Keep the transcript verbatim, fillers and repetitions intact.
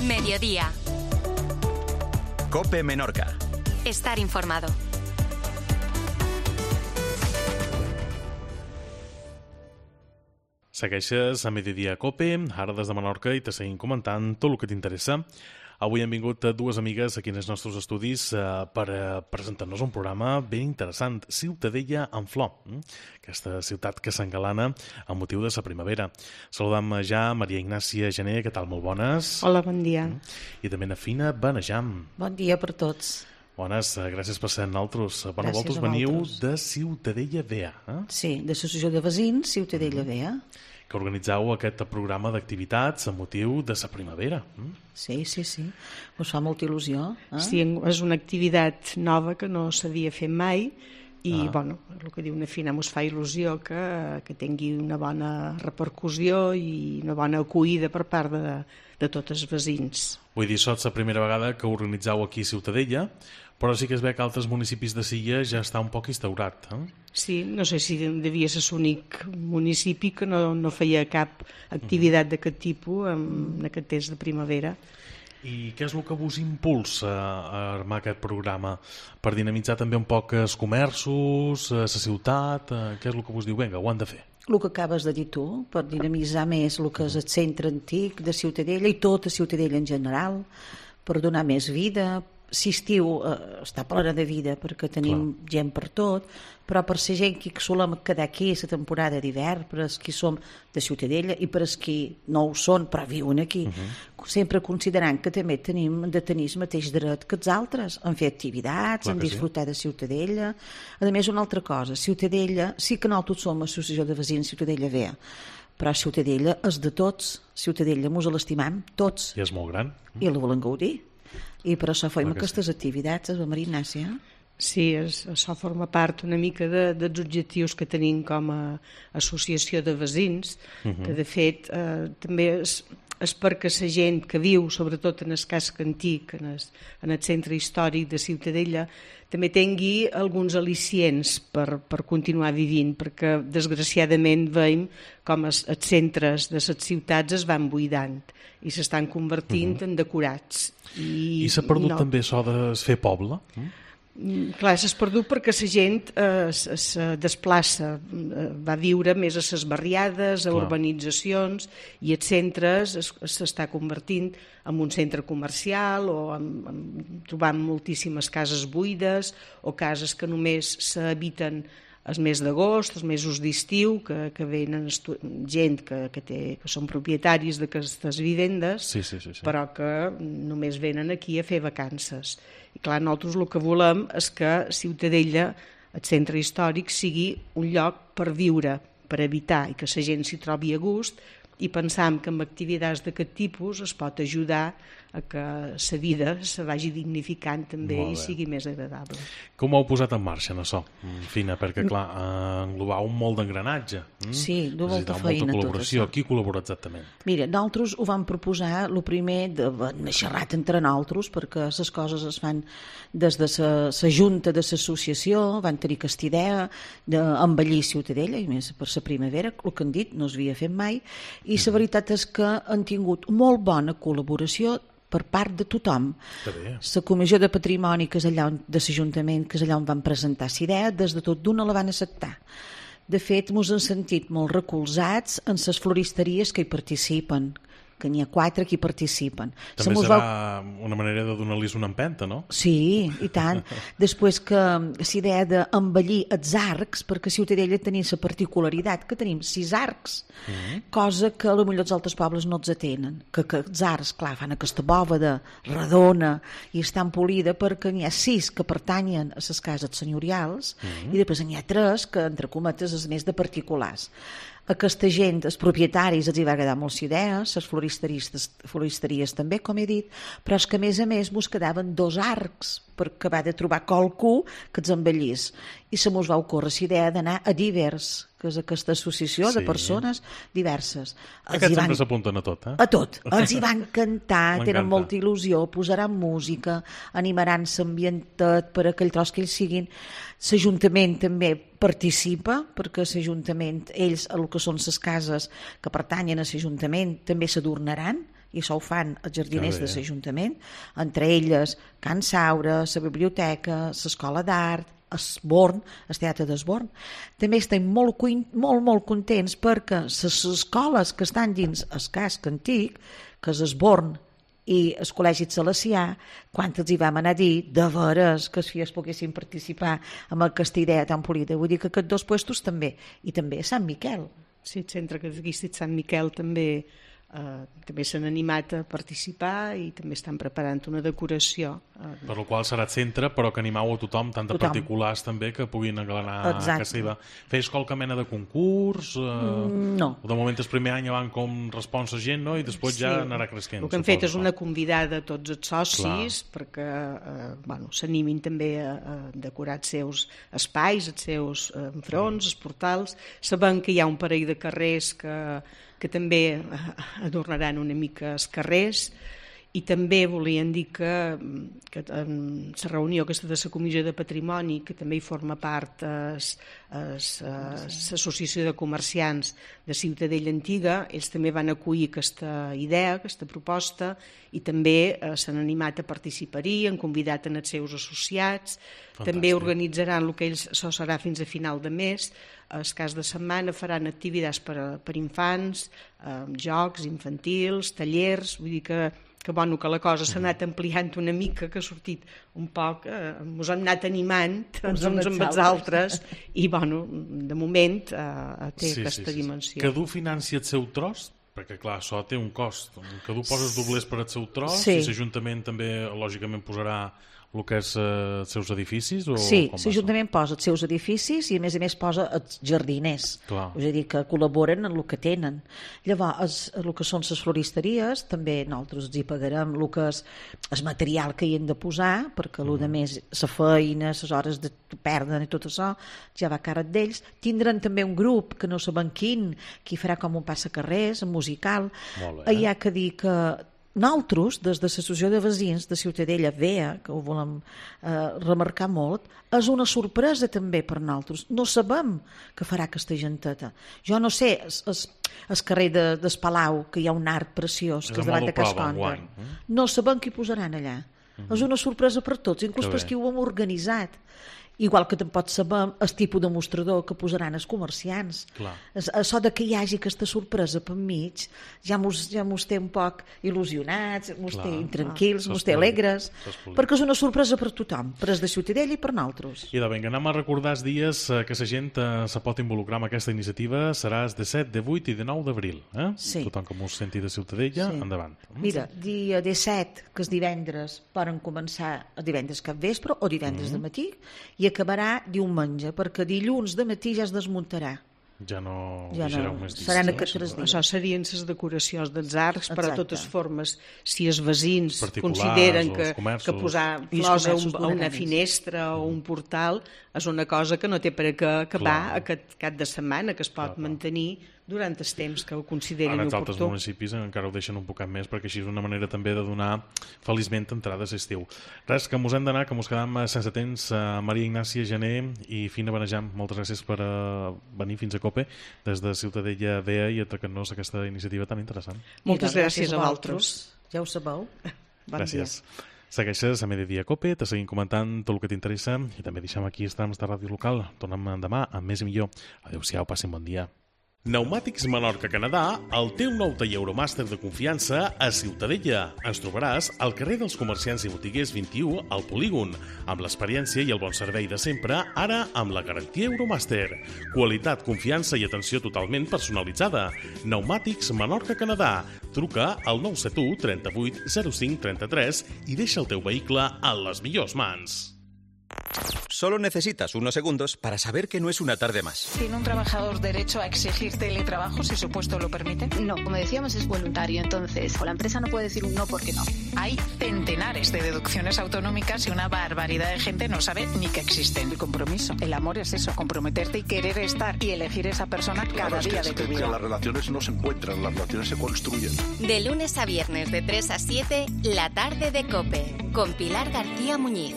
Mediodía. COPE Menorca. Estar informado. Segueixes a Mediodía COPE, ara des de Menorca, i te seguim comentant tot el que t'interessa. Avui han vingut dues amigues aquí als nostres estudis eh, per eh, presentar-nos un programa ben interessant, Ciutadella en flor, eh? Aquesta ciutat que s'engalana amb motiu de la primavera. Saludam ja Maria Ignàcia Gené, què tal? Molt bones. Hola, bon dia. I també na Fina Benejam. Bon dia per tots. Bones, gràcies per ser amb nosaltres. Bona, Gràcies vosaltres a veniu vosaltres. de Ciutadella Vea, eh? Sí, d'Associació de Veïns, Ciutadella Mm-hmm. Vea. Que organitzeu aquest programa d'activitats amb motiu de la primavera. Eh? Sí, sí, sí. Us fa molta il·lusió. Eh? Sí, és una activitat nova que no s'havia fet mai i, Ah. bueno, el que diu una Fina, ens fa il·lusió que, que tingui una bona repercussió i una bona acollida per part de, de tots els veïns. Vull dir, sots la primera vegada que organitzeu aquí a Ciutadella, però sí que es ve que altres municipis de Silla ja està un poc instaurat. Eh? Sí, no sé si devia ser l'únic municipi que no, no feia cap activitat d'aquest tipus en, en aquest temps de primavera. I què és el que vos impulsa a armar aquest programa? Per dinamitzar també un poc els comerços, la ciutat? eh, Què és el que vos diu? Vinga, ho han de fer. El que acabes de dir tu, per dinamitzar més el que és el centre antic de Ciutadella i tota Ciutadella en general, per donar més vida. Si estiu eh, està plena de vida perquè tenim Clar. gent per tot, però per ser gent que solem quedar aquí a la temporada d'hivern, per als qui som de Ciutadella i per als qui no ho són però viuen aquí, uh -huh. sempre considerant que també tenim de tenir el mateix dret que els altres en fer activitats, Clar en que disfrutar sí. de Ciutadella. A més, una altra cosa, Ciutadella, sí que nosaltres som associació de veïns Ciutadella Vea, però Ciutadella és de tots. Ciutadella mos l'estimam tots I és molt gran. i la volem gaudir. I per això fem Clar que aquestes sí. activitats, a Maria Ignàcia. Sí, és, això forma part una mica de, dels objectius que tenim com a associació de veïns, uh -huh. que de fet eh, també és, és perquè la gent que viu, sobretot en el casc antic, en el, en el centre històric de Ciutadella, també tingui alguns al·licients per, per continuar vivint, perquè desgraciadament veiem com els, els centres de les ciutats es van buidant i s'estan convertint uh -huh. en decorats. I, I s'ha perdut no. també això de fer poble? Eh? Clar, s'ha perdut perquè la gent eh, es desplaça, eh, va viure més a les barriades, a Clar. urbanitzacions, i els centres s'està convertint en un centre comercial o en, en, trobant moltíssimes cases buides o cases que només s'habiten els mesos d'agost, els mesos d'estiu, que, que venen estu- gent que, que, té, que són propietaris d'aquestes vivendes, Sí, sí, sí, sí. però que només venen aquí a fer vacances. I clar, nosaltres el que volem és que Ciutadella, el centre històric, sigui un lloc per viure, per habitar i que la gent s'hi trobi a gust, i pensam que amb activitats d'aquest tipus es pot ajudar a que la vida se vagi dignificant també Molt i bé. sigui més agradable. Com ho heu posat en marxa, en això? Mm, Fina, perquè, clar, eh, englobau un molt d'engranatge. Mm? Sí, du molta Necessitau feina, molta tot col·laboració. això. Qui col·labora exactament? Mira, nosaltres ho vam proposar, el primer, de, de xerrat entre nosaltres, perquè les coses es fan des de la junta de l'associació, van tenir aquesta idea d'embellir Ciutadella, i més per la primavera, el que han dit, no s'havia fet mai, i la veritat és que han tingut molt bona col·laboració per part de tothom. Està bé. La Comissió de Patrimoni, que és allà on, de l'Ajuntament, que és allà on van presentar la idea, des de tot d'una la van acceptar. De fet, ens hem sentit molt recolzats en les floristeries que hi participen, que n'hi ha quatre que hi participen. Se També mos serà va- una manera de donar-los una empenta, no? Sí, i tant. Després que la idea d'embellir els arcs, perquè a Ciutadella tenim la particularitat que tenim sis arcs, mm-hmm. cosa que potser els altres pobles no els atenen. Que, que els arcs, clar, fan aquesta bòveda redona i estan polida perquè n'hi ha sis que pertanyen a les cases senyorials mm-hmm. i després n'hi ha tres que, entre cometes, és més de particulars. Aquesta gent, els propietaris, els hi va agradar molt la idea, les floristeries, floristeries també, com he dit, però és que a més a més mos quedaven dos arcs perquè va de trobar qualcú que els embellís. I se mos va ocórrer la idea d'anar a Divers, que és aquesta associació Sí. de persones diverses. Els Aquests hi van- sempre s'apunten a tot, eh? a tot. Els hi van cantar, M'encanta. tenen molta il·lusió, posaran música, animaran l'ambientat per aquell tros que ells siguin. L'Ajuntament també participa, perquè l'Ajuntament, ells, el que són les cases que pertanyen a l'Ajuntament, també s'adornaran i això ho fan els jardiners de l'Ajuntament, entre elles Can Saura, la biblioteca, l'escola d'art, Esborn, el teatre d'Esborn. També estem molt, molt, molt contents perquè les escoles que estan dins el casc antic, que és Esborn i el Col·legi Salesià, quan els hi vam anar a dir de veres que els filles poguessin participar amb aquesta idea tan polida. Vull dir que aquests dos puestos també, i també a Sant Miquel. Sí, el centre catequístic Sant Miquel també eh, també s'han animat a participar i també estan preparant una decoració. Per la qual serà centre, però que animau a tothom, tant de tothom. Particulars també, que puguin engalanar a casa seva. Feix qualque mena de concurs? Eh, no. De moment el primer any van com respons a gent, no? I després sí. ja anarà creixent. El que hem fet és una convidada a tots els socis Clar. perquè eh, bueno, s'animin també a, a decorar els seus espais, els seus eh, fronts, mm. els portals. Sabem que hi ha un parell de carrers que que també adornaran una mica els carrers, i també volien dir que, que en la reunió aquesta de la Comissió de Patrimoni, que també hi forma part l'Associació de Comerciants de Ciutadella Antiga, ells també van acollir aquesta idea, aquesta proposta, i també eh, s'han animat a participar-hi, han convidat en els seus associats. Fantàstic. També organitzaran el que ells, això serà fins a final de mes, el cas de setmana faran activitats per, a, per infants, eh, jocs infantils, tallers, vull dir que, que, bueno, que la cosa s'ha anat ampliant una mica, que ha sortit un poc, eh, ens hem anat animant uns amb els altres, i bueno, de moment eh, té sí, aquesta sí, sí. dimensió. Cadú financia el seu tros? Perquè clar, això té un cost. Cadú posa els doblers per al seu tros, sí. i l'Ajuntament també lògicament posarà el que és eh, els seus edificis? O sí, l'Ajuntament posa els seus edificis i a més a més posa els jardiners. Clar. És a dir, que col·laboren en el que tenen. Llavors, el que són les floristeries, també nosaltres els hi pagarem el que és el material que hi hem de posar, perquè mm. el de més, la feina, les hores de perden i tot això, ja va a càrrec d'ells. Tindran també un grup, que no sabem quin, que hi farà com un passacarrers, un musical. Molt bé. Hi ha que dir que nosaltres, des de l'Associació de Veïns de Ciutadella V E A, que ho volem eh, remarcar molt, és una sorpresa també per nosaltres. No sabem què farà aquesta genteta. Jo no sé, el carrer de, del Palau, que hi ha un art preciós, que és davant de Casconda. Eh? No sabem qui posaran allà. Mm-hmm. És una sorpresa per tots, inclús per qui ho hem organitzat. Igual que tampoc sabem el tipus de mostrador que posaran els comerciants. Clar. Això de que hi hagi aquesta sorpresa per mig ja mos, ja mos té un poc il·lusionats, mos té intranquils, mos té alegres, perquè és una sorpresa per tothom, per els de Ciutadella i per nosaltres. I de vinga, anem a recordar els dies que la gent eh, se pot involucrar en aquesta iniciativa. Serà de set, de vuit i de nou d'abril. Eh? Sí. Tothom que mos senti de Ciutadella, sí. endavant. Mira, dia disset, que és divendres, poden començar el divendres cap vespre o divendres mm-hmm. de matí, i acabarà diumenge, perquè dilluns de matí ja es desmuntarà. Ja no ja no. Més dies. Seran aquests tres dies. Això serien les decoracions dels arcs. Exacte. Per a totes formes, si els veïns particulars, consideren que, que posar flors a, un, a una finestra o un portal és una cosa que no té per què acabar aquest cap de setmana, que es pot clar, mantenir durant el temps que ho considerin oportú. Ara els altres municipis encara ho deixen un poquet més, perquè així és una manera també de donar feliçment entrades a estiu. Res, que mos hem d'anar, que mos quedam sense temps. Maria Ignàcia Gené i Fina Benejam, moltes gràcies per venir fins a Cope des de Ciutadella V E A i atracar-nos aquesta iniciativa tan interessant. Moltes gràcies, gràcies a vosaltres. Ja ho sabeu. Bon gràcies. Dia. Segueixes a Mediodía Cope, te seguim comentant tot el que t'interessa i també deixem aquí els trams de ràdio local. Tornem demà amb més i millor. Adéu-siau, passin bon dia. Pneumàtics Menorca Canadà, el teu nou taller Euromàster de confiança a Ciutadella. Ens trobaràs al carrer dels Comerciants i Botiguers vint-i-u al Polígon, amb l'experiència i el bon servei de sempre, ara amb la garantia Euromàster. Qualitat, confiança i atenció totalment personalitzada. Pneumàtics Menorca Canadà. Truca al nou set u trenta-vuit zero cinc trenta-tres i deixa el teu vehicle en les millors mans. Solo necesitas unos segundos para saber que no es una tarde más. ¿Tiene un trabajador derecho a exigir teletrabajo si su puesto lo permite? No, como decíamos, es voluntario, entonces la empresa no puede decir un no porque no. Hay centenares de deducciones autonómicas y una barbaridad de gente no sabe ni que existen. El compromiso, el amor es eso, comprometerte y querer estar y elegir esa persona cada claro, día es que, de tu es vida. Que las relaciones no se encuentran, las relaciones se construyen. De lunes a viernes de tres a siete, La Tarde de Cope, con Pilar García Muñiz.